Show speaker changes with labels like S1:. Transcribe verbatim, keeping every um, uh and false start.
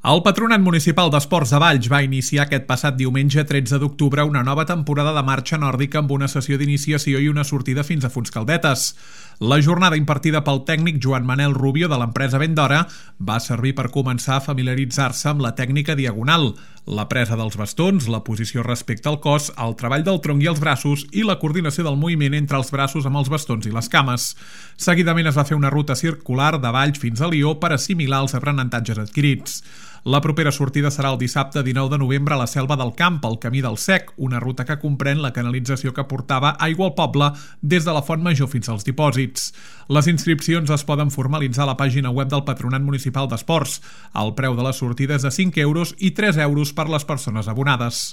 S1: El Patronat Municipal d'Esports de Valls va iniciar aquest passat diumenge tretze d'octubre una nova temporada de marxa nòrdica amb una sessió d'iniciació i una sortida fins a Fontscaldetes. La jornada impartida pel tècnic Joan Manel Rubio de l'empresa Vendora va servir per començar a familiaritzar-se amb la tècnica diagonal, la presa dels bastons, la posició respecte al cos, el treball del tronc i els braços i la coordinació del moviment entre els braços amb els bastons i les cames. Seguidament es va fer una ruta circular de Valls fins a Lió per assimilar els aprenentatges adquirits. La propera sortida serà el dissabte dinou de novembre a la Selva del Camp, al Camí del Sec, una ruta que comprèn la canalització que portava aigua al poble des de la Font Major fins als dipòsits. Les inscripcions es poden formalitzar a la pàgina web del Patronat Municipal d'Esports. El preu de la sortida és de cinc euros i tres euros per les persones abonades.